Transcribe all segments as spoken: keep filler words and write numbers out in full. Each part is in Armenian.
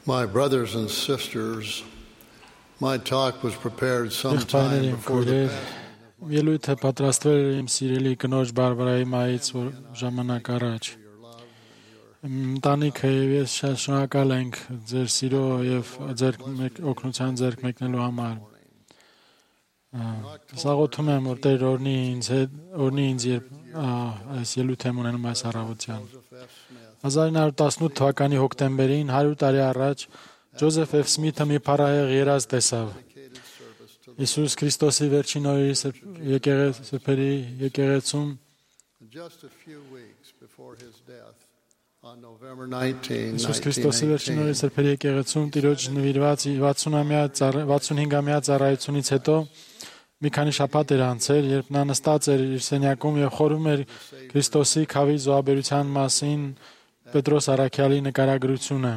My brothers and sisters, my talk was prepared some time Եղբայրներ իմ before the քույրեր, passing. ելույթը պատրաստվել էր իմ սիրելի կնոջ Բարբարայի մայից որ ժամանակ առաջ։ Ընտանիքը եւ ես շատ շնորհակալ ենք ձեր սիրո եւ ձեր օգնության ձեռք մեկնելու համար։ Սաղոթում եմ, որ Տեր օրհնի ինձ հետ, օրհնի ինձ երբ այս ելույթ եմ ունենում այս առավոտյան։ հազար նույն հարյուր տասնութ թվականի հոկտեմբերին հարյուր տարի առաջ Ջոզեֆ Էֆ Սմիթը մի փառահեղ երազ տեսավ։ Իսուս Քրիստոսի վերջին օրերի եկեղեցի եկեղեցում Just a few weeks before his death on November nineteenth, Իսուս Քրիստոսի վերջին օրերի սրբերի եկեղեցում Տիրոջ նվիրված վաթսունամյա ծառայությունից հետո մի քանի շաբաթ էր անցել, երբ նա նստած էր իր սենյակում եւ խորհում էր Քրիստոսի քավի զոհաբերության մասին Պետրոս Առաքյալի նկարագրությունը։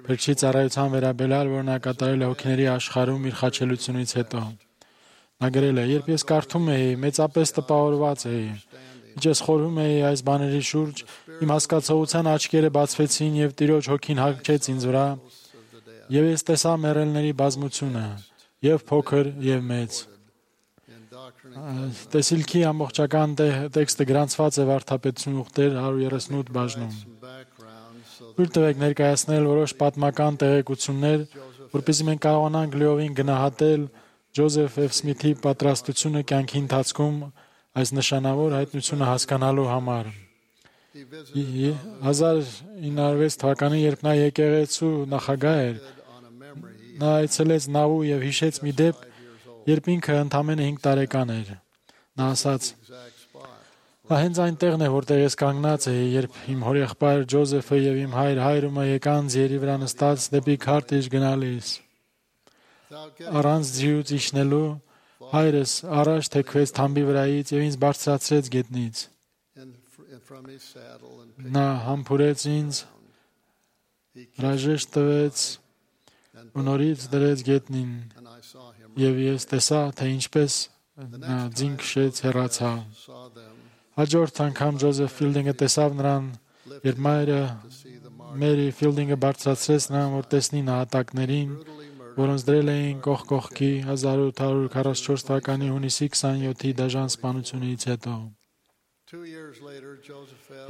Փրկչի ծառայության վերաբերյալ, որ նա կատարել է հոգիների աշխարհում իր խաչելությունից հետո։ Նա գրել է. «Երբ ես կարդում էի, մեծապես տպավորված էի։ Ինչ ես խորհում էի այս բաների շուրջ, իմ հասկացողության աչքերը բացվեցին եւ Տիրոջ հոգին հագչեց ինձ վրա, եւ ես տեսա մեռելների բազմությունը, եւ փոքր եւ մեծ»։ Տեսիլքի ամբողջական տեքստը գրանցված է Վարդապետություն ուխտեր հարյուր երեսունութ բաժնում։ Թույլ տվեք ներկայացնել որոշ պատմական տեղեկություններ, որպեսզի մենք կարողանանք լիովին գնահատել Ջոզեֆ Էֆ Սմիթի պատրաստությունը կյանքի ընթացքում այս նշանավոր հայտնությունը հասկանալու համար։ հազար ինը հարյուր վեց թվականին, երբ նա եկեղեցու նախագահ էր, նա այցելեց Նավու եւ հիշեց մի դեպք, երբ ինքը ընդամենը հինգ տարեկան էր։ Նա ասաց. «Դա հենց այնտեղն է, որտեղ ես կանգնած էի, երբ իմ հորեղբայր Ջոզեֆը եւ իմ հայր Հայրումը եկան ձիերի վրա նստած դեպի Քարտեջ գնալիս։ Առանց ձիուց իջնելու հայրս առաջ թեքվեց թամբի վրայից եւ ինձ բարձրացրեց գետնից։ Նա համբուրեց ինձ, հրաժեշտ տվեց ու նորից դրեց գետնին եւ ես տեսա, թե ինչպես նա ձին քշեց հեռացավ։ Հաջորդ անգամ Ջոզեֆ Ֆիլդինգը տեսավ նրան, երբ մայրը Մերի Ֆիլդինգը բարձրացրեց նրան, որ տեսնի նահատակներին, որոնց դրել էին կողք կողքի հազար ութ հարյուր քառասունչորս թվականի հունիսի քսանյոթի դաժան սպանությունից հետո։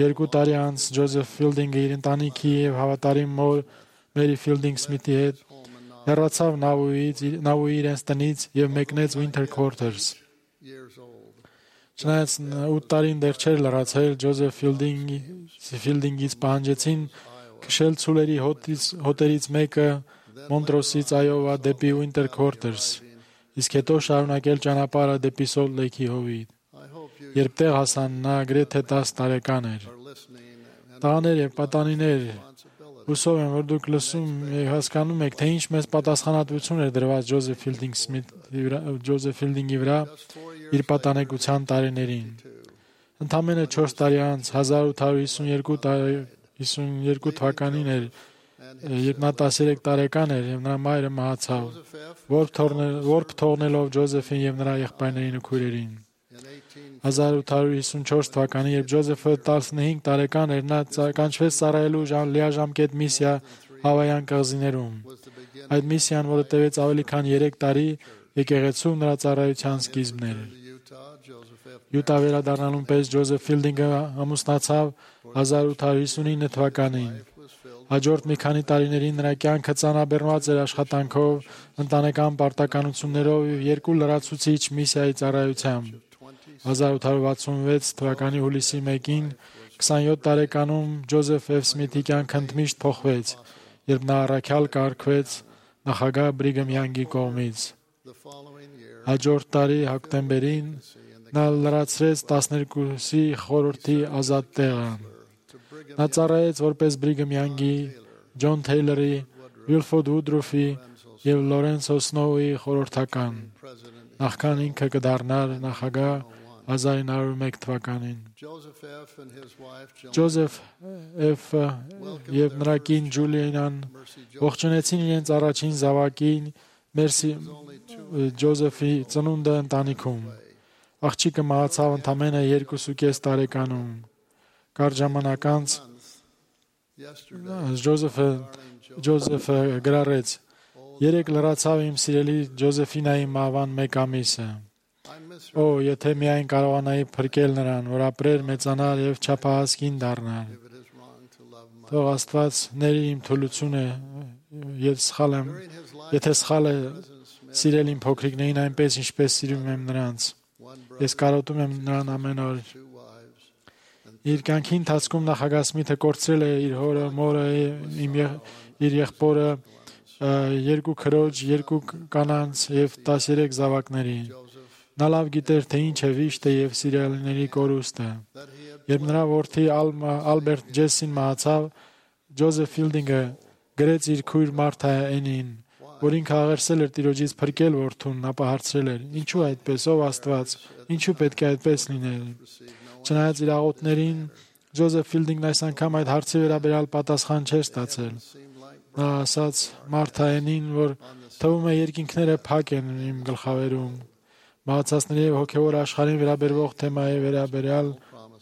Երկու տարի անց Ջոզեֆ Ֆիլդինգը իր ընտանիքի եւ հավատարիմ մոր Մերի Ֆիլդինգ Սմիթի հետ հեռացավ Նավուից, Նավուի իրենց տնից եւ մեկնեց Winter Quarters։ Չնայած ութ տարին դեռ չէր լրացել, Ջոզեֆ Ֆիլդինգի Ֆիլդինգից պահանջեցին քշել ցուլերի հոտերից մեկը Մոնտրոսից Այովա դեպի Winter Quarters, իսկ հետո շարունակել ճանապարհը դեպի Սոլտ Լեյքի հովիտ։ Երբ տեղ հասան, նա գրեթե տասը տարեկան էր։ Տղաներ եւ պատանիներ, հուսով եմ, որ դուք լսում եւ հասկանում եք, թե ինչ մեծ պատասխանատվություն էր դրված Ջոզեֆ Ֆիլդինգ Սմիթի վրա, Ջոզեֆ Ֆիլդինգի վրա իր պատանեկության տարիներին։ Ընդամենը չորս տարի անց հազար ութ հարյուր հիսուն երկու թվականին էր, երբ նա տասներեք տարեկան էր եւ նրա մայրը մահացավ, որբ թողնելով Ջոզեֆին եւ նրա եղբայրներին ու քույրերին։ հազար ութ հարյուր հիսունչորս թվականին, երբ Ջոզեֆը տասնհինգ տարեկան էր, նա կանչվեց ծառայելու լիաժամկետ միսիա Հավայան կղզիներում։ Այդ միսիան, որը տևեց ավելի քան երեք տարի, եկեղեցու նրա ծառայության սկիզբն էր։ Յուտա վերադառնալուն պես Ջոզեֆ Ֆիլդինգը ամուսնացավ հազար ութ հարյուր հիսունինը թվականին։ Հաջորդ մի քանի տարիներին նրա կյանքը ծանրաբեռնված էր աշխատանքով, ընտանեկան պարտականություններով եւ երկու լրացուցիչ միսիայի ծառայությամբ։ հազար ութ հարյուր վաթսունվեց թվականի հուլիսի մեկին, քսանյոթ տարեկանում Ջոզեֆ Էֆ Սմիթի կյանքը ընդմիշտ փոխվեց, երբ նա առաքյալ կարգվեց նախագահ Բրիգեմ Յանգի կողմից։ Հաջորդ տարի հոկտեմբերին նա լրացրեց տասներկուսի խորհրդի ազատ տեղը։ Նա ծառայեց որպես Բրիգեմ Յանգի, Ջոն Թեյլերի, Վիլֆորդ Վուդրուֆի եւ Լորենցո Սնոուի խորհրդական, նախքան ինքը կդառնար նախագահ հազար ինը հարյուր մեկ թվականին։ Ջոզեֆ Էֆը եւ նրա կին Ջուլիանան ողջունեցին իրենց առաջին զավակին Մերսի Ջոզեֆի ծնունդը ընտանիքում։ Աղջիկը մահացավ ընդամենը երկուսուկես տարեկանում։ Կարճ ժամանակ անց Ջոզեֆը Ջոզեֆը գրառեց. «Երեք լրացավ իմ սիրելի Ջոզեֆինայի մահվան մեկ ամիսը։ Օ, եթե միայն կարողանայի փրկել նրան, որ ապրեր, մեծանար եւ չափահաս կին դառնար։ Թող Աստված ների իմ թուլությունը, եթե սխալ եմ, եթե սխալ է սիրել իմ փոքրիկներին այնպես, ինչպես սիրում եմ նրանց։ Ես կարոտում եմ նրան ամեն օր»։ Իր կյանքի ընթացքում նախագահ Սմիթը կորցրել է իր հորը, մորը, իմ եղ, իր եղբորը, երկու քրոջ, երկու կանանց եւ տասներեք զավակների։ Նա լավ գիտեր, թե ինչ է վիշտը եւ սիրելիների կորուստը։ Երբ նրա որդի Ալբերտ Ջեսին մահացավ, Ջոզեֆ Ֆիլդինգը գրեց իր քույր Մարթա Էնին, որ ինքը աղերսել էր Տիրոջից փրկել որդուն, ապա հարցրել էր. «Ինչու այդպես, ով Աստված, ինչու պետք է այդպես լինել»։ Չնայած իր աղոթներին, Ջոզեֆ Ֆիլդինգն այս անգամ այդ հարցի վերաբերյալ պատասխան չէր ստացել։ Նա ասաց Մարթա Էնին, որ թվում է երկինքները փակ են իմ գլխավերում։ Մահացածների եւ հոգեվոր աշխարհին վերաբերվող թեմայի վերաբերյալ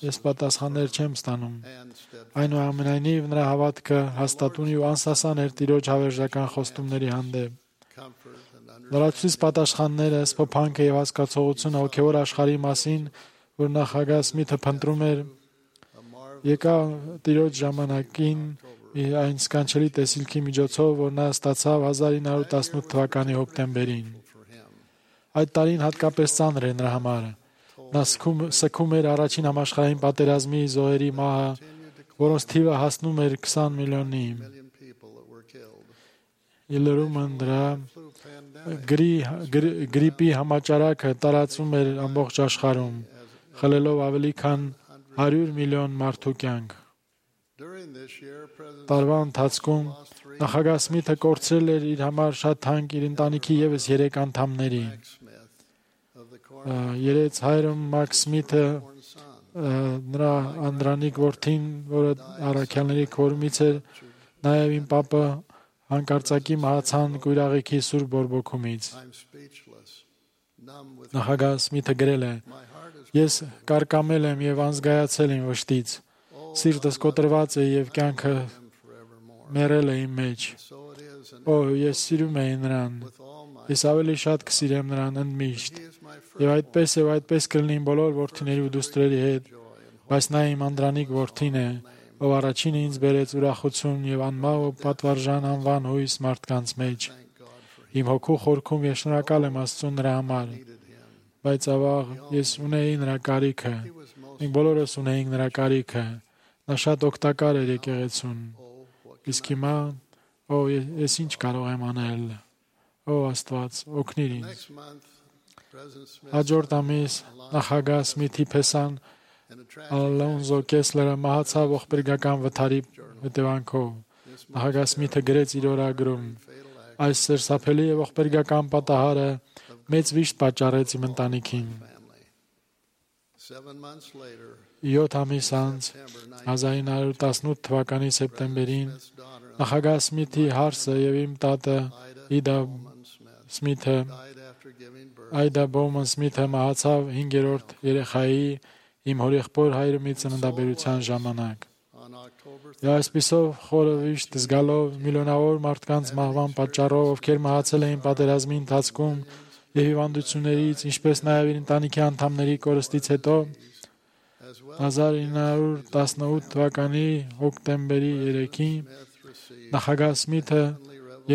ես պատասխաններ չեմ ստանում։ Այնուամենայնիվ նրա հավատքը հաստատուն ու անսասան էր Տիրոջ հավերժական խոստումների հանդեպ։ Լրացուցիչ պատասխանները, սփոփանքը եւ հասկացողությունը հոգեվոր աշխարհի մասին, որ նախագահ Սմիթը փնտրում էր, եկա Տիրոջ ժամանակին այն սքանչելի տեսիլքի միջոցով, որ նա ստացավ հազար ինը հարյուր տասնութ թվականի հոկտեմբերին։ Այդ տարին հատկապես ծանր էր նրա համար։ Նա սգում էր առաջին համաշխարհային պատերազմի զոհերի մահը, որոնց թիվը հասնում էր քսան միլիոնի։ Ելրումը դրա գրիպի համաճարակը տարածվում էր ամբողջ աշխարհում, խլելով ավելի քան հարյուր միլիոն մարդու կյանք։ Տարվա ընթացքում նախագահ Սմիթը կորցրել էր իր համար շատ թանկ իր ընտանիքի ևս երեք անդամների։ Երեց հայրը Մաքս Սմիթը, նրա անդրանիկ որդին, որը առաքյալների քորմից էր, նաև իմ պապը հանկարծակի մահացան կույրաղիքի սուր բորբոքումից։ Նախագահ Սմիթը գրել է. «Ես կարկամել եմ եւ անզգայացել իմ վշտից։ Սիրտս կոտրված է եւ կյանքը մեռել է իմ մեջ։ Օ, ես սիրում եմ նրան։ Ես ավելի շատ կսիրեմ նրան ընդմիշտ։ Եվ այդպես եւ այդպես կլինի իմ բոլոր որդիների ու դուստրերի հետ, բայց նա իմ անդրանիկ որդին է, ով առաջինը ինձ բերեց ուրախություն եւ անմահ ու պատվարժան անվան հույս մարդկանց մեջ։ Իմ հոգու խորքում ես շնորհակալ եմ Աստծուն նրա համար, բայց ավաղ ես ունեի նրա կարիքը։ Մենք բոլորս ունեինք նրա կարիքը։ Նա շատ օգտակար էր եկեղեցուն։ Իսկ հիմա, օ, ես ինչ կարող եմ անել։ Օ Աստված, օգնիր ինձ»։ Հաջորդ ամիս նախագահ Սմիթի փեսան Ալոնզո Կեսլերը մահացավ ողբերգական վթարի հետևանքով։ Նախագահ Սմիթը գրեց իր օրագրում. «Այս սերսափելի եւ ողբերգական պատահարը մեծ վիշտ պատճառեց իմ ընտանիքին»։ Յոթ ամիս անց, հազար ինը հարյուր տասնութ թվականի սեպտեմբերին, նախագահ Սմիթի հարսը եւ իմ տատը Իդա Սմիթը, Այդա Բոուման Սմիթը մահացավ հինգերորդ երեխայի իմ հորեղբոր հայրումի ծննդաբերության ժամանակ։ Եվ այսպիսով խորը վիշտ զգալով միլիոնավոր մարդկանց մահվան պատճառով, ովքեր մահացել էին պատերազմի ընթացքում եւ հիվանդություններից, ինչպես նաեւ իր ընտանիքի անդամների կորստից հետո, հազար ինը հարյուր տասնութ թվականի հոկտեմբերի երեքին նախագահ Սմիթը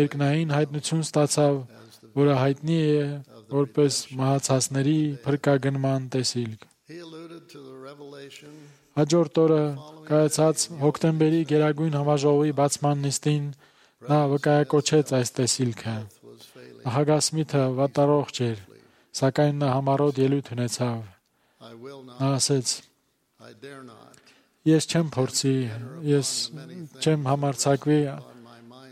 երկնային հայտնություն ստացավ, որը հայտնի է որպես մահացածների փրկագնման տեսիլք։ Հաջորդ օրը կայացած հոկտեմբերի գերագույն համաժողովի բացման նիստին նա վկայակոչեց այս տեսիլքը։ Նախագահ Սմիթը վատառողջ էր, սակայն նա համառոտ ելույթ ունեցավ։ Նա ասեց. «Ես չեմ փորձի, ես չեմ համարձակվի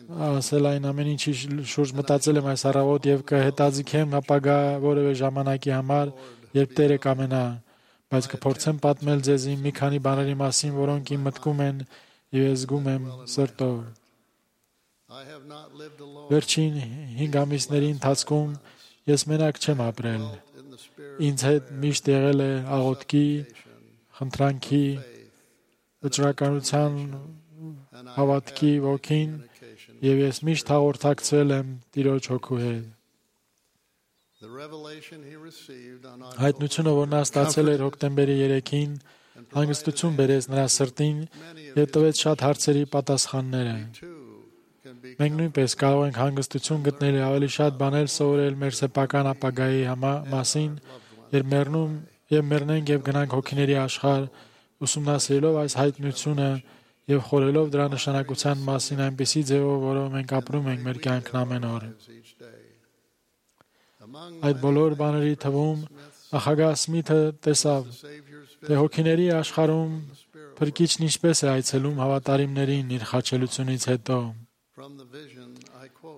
ասել այն ամեն ինչի շուրջ մտածել եմ այս առավոտ եւ կհետաձգեմ ապագա որևէ ժամանակի համար, երբ Տերը կամենա, բայց կփորձեմ պատմել ձեզ մի քանի բաների մասին, որոնք իմ մտքում են եւ ես զգում եմ սրտով։ Վերջին հինգ ամիսների ընթացքում ես մենակ չեմ ապրել։ Ինձ հետ միշտ եղել է աղոթքի, խնդրանքի, վճռականության, հավատքի ոգին եւ ես միշտ հաղորդակցվել եմ Տիրոջ հոգու հետ։ The revelation he received on Հայտնությունը, որ նա ստացել էր հոկտեմբերի երեքին, հանգստություն բերեց նրա սրտին եւ տվեց շատ հարցերի պատասխանները։ Մենք նույնպես կարող ենք հանգստություն գտնել եւ ավելի շատ բաներ սովորել մեր սեփական ապագայի մասին, երբ մեռնում եւ մեռնենք եւ գնանք հոգիների աշխարհ, ուսումնասիրելով այս հայտնությունը եւ խորելով դրա նշանակության մասին այնպիսի ձևով, որով մենք ապրում ենք մեր կյանքն ամեն օր։ Այդ բոլոր բաների թվում նախագահ Սմիթը տեսավ, թե հոգիների աշխարհում Փրկիչն ինչպես է այցելում հավատարիմներին իր խաչելությունից հետո։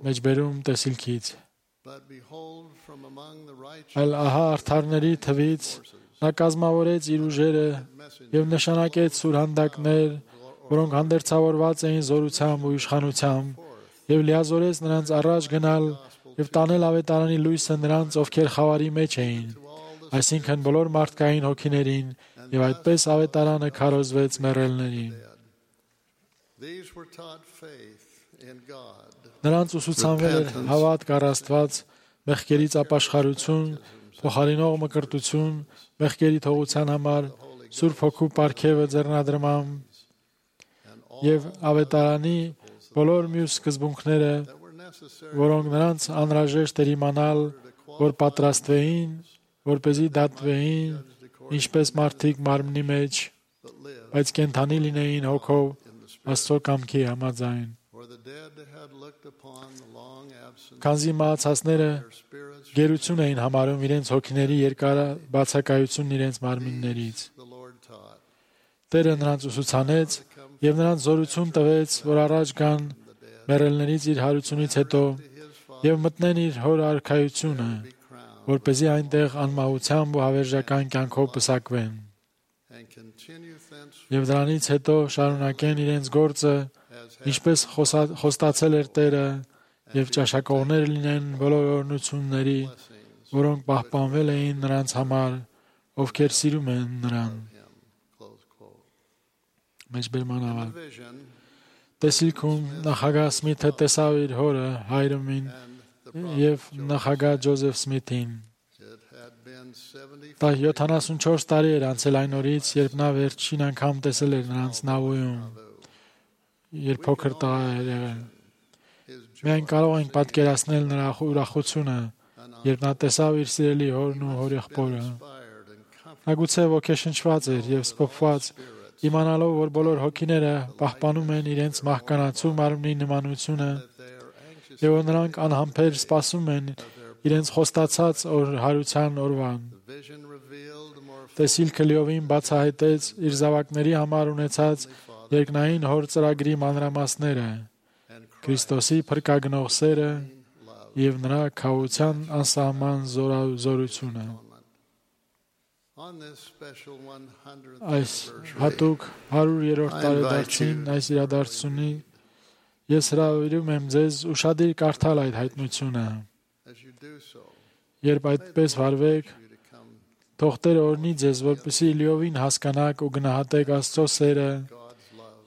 Մեջբերում տեսիլքից։ Այլ ահա արդարների թվից նա կազմավորեց իր ուժերը եւ նշանակեց սուրհանդակներ, որոնք հանդերձավորված էին զորությամբ ու իշխանությամբ, եւ լիազորեց նրանց առաջ գնալ եւ տանել ավետարանի լույսը նրանց, ովքեր խավարի մեջ էին, այսինքն բոլոր մարդկային հոգիներին, եւ այդպես ավետարանը քարոզվեց մեռելներին։ Նրանց ուսուցանվել էր հավատք առ Աստված, մեղքերից ապաշխարություն, փոխարինող մկրտություն, մեղքերի թողության համար, Սուրբ Հոգու պարգևը ձեռնադրմամբ եւ ավետարանի բոլոր մյուս սկզբունքները, որոնք նրանց անհրաժեշտ էր իմանալ, որ պատրաստվեին, որպեսզի դատվեին, ինչպես մարդիկ մարմնի մեջ, բայց կենդանի լինեին հոգով Աստծո կամքի համաձայն։ Քանզի մահացածները գերություն էին համարում իրենց հոգիների երկար բացակայությունն իրենց մարմիններից։ Տերը նրանց ուսուցանեց եւ նրանց զորություն տվեց, որ առաջ գան մեռելներից իր հարությունից հետո եւ մտնեն իր հոր արքայությունը, որպեսզի այնտեղ անմահությամբ ու հավերժական կյանքով պսակվեն։ Եվ դրանից հետո շարունակեն իրենց գործը, ինչպես խոստացել էր Տերը, եւ ճաշակողներ լինեն բոլոր օրհնությունների, որոնք պահպանվել էին նրանց համար, ովքեր սիրում են նրան։ Մեջբերման ավարտ։ Տեսիլքում նախագահ Սմիթը տեսավ իր հորը, Հայրամին եւ նախագահ Ջոզեֆ Սմիթին։ Դա յոթանասունչորս տարի էր անցել այն օրից, երբ նա վերջին անգամ տեսել էր նրանց Նավոյում, երբ փոքր տղա էր եղել։ Միայն կարող ենք պատկերացնել նրա ուրախությունը, երբ նա տեսավ իր սիրելի հորն ու հորեղբորը։ Նա գուցե ոգեշնչված էր եւ սփոփված, իմանալով, որ բոլոր հոգիները պահպանում են իրենց մահկանացու մարմնի նմանությունը եւ որ նրանք անհամբեր սպասում են իրենց խոստացած հարության օրվան։ Տեսիլքը լիովին բացահայտեց իր զավակների համար ունեցած երկնային հոր ծրագրի մանրամասները, Քրիստոսի փրկագնող սերը եւ նրա քավության անսահման զորությունը։ Այս հատուկ հարյուրերորդ տարեդարձին այս իրադարձությունի ես հրավիրում եմ ձեզ ուշադիր կարդալ այդ հայտնությունը։ Երբ այդպես վարվեք, թող Տերը օրհնի ձեզ, որպեսզի լիովին հասկանաք ու գնահատեք Աստծո սերը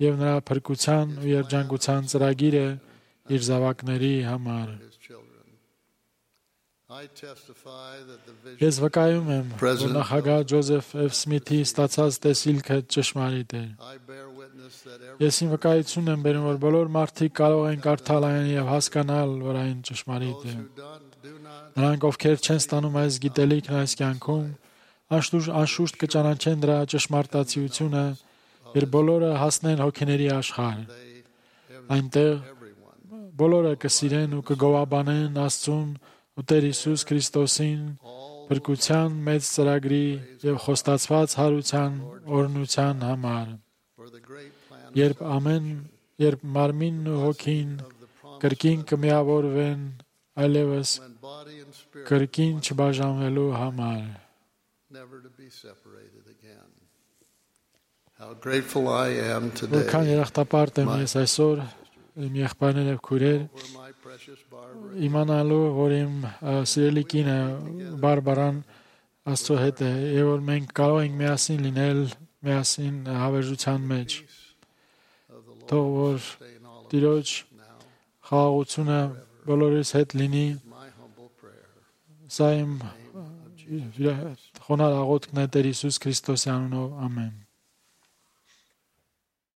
եւ նրա փրկության ու երջանկության ծրագիրը իր զավակների համար։ Ես վկայում եմ, որ նախագահ Ջոզեֆ Էֆ Սմիթի ստացած տեսիլքը ճշմարիտ է։ Ես իմ վկայությունն եմ բերում, որ բոլոր մարդիկ կարող են կարդալ այն եւ հասկանալ, որ այն ճշմարիտ է։ Նրանք, ովքեր չեն ստանում այս գիտելիքն այս կյանքում, անշուշտ կճանաչեն դրա ճշմարտացիությունը, երբ բոլորը հասնեն հոգիների աշխարհ։ Այնտեղ բոլորը կսիրեն ու կգովաբանեն Աստծուն ու Տեր Հիսուս Քրիստոսին փրկության մեծ ծրագրի եւ խոստացված հարության օրհնության համար։ Երբ ամեն երբ մարմինն ու հոգին կրկին կմիավորվեն այլևս կրկին չբաժանվելու համար։ Որքան երախտապարտ եմ ես այսօր իմ եղբայրներ եւ քույրեր իմանալու, որ իմ սիրելի կինը Բարբարան Աստծո հետ է եւ որ մենք կարող ենք միասին լինել միասին հավերժության մեջ։ Թող որ Տիրոջ խաղաղությունը բոլորիս հետ լինի։ My humble prayer. Սա իմ խոնարհ աղոթքն է Տեր Հիսուս Քրիստոսի անունով։ Ամեն։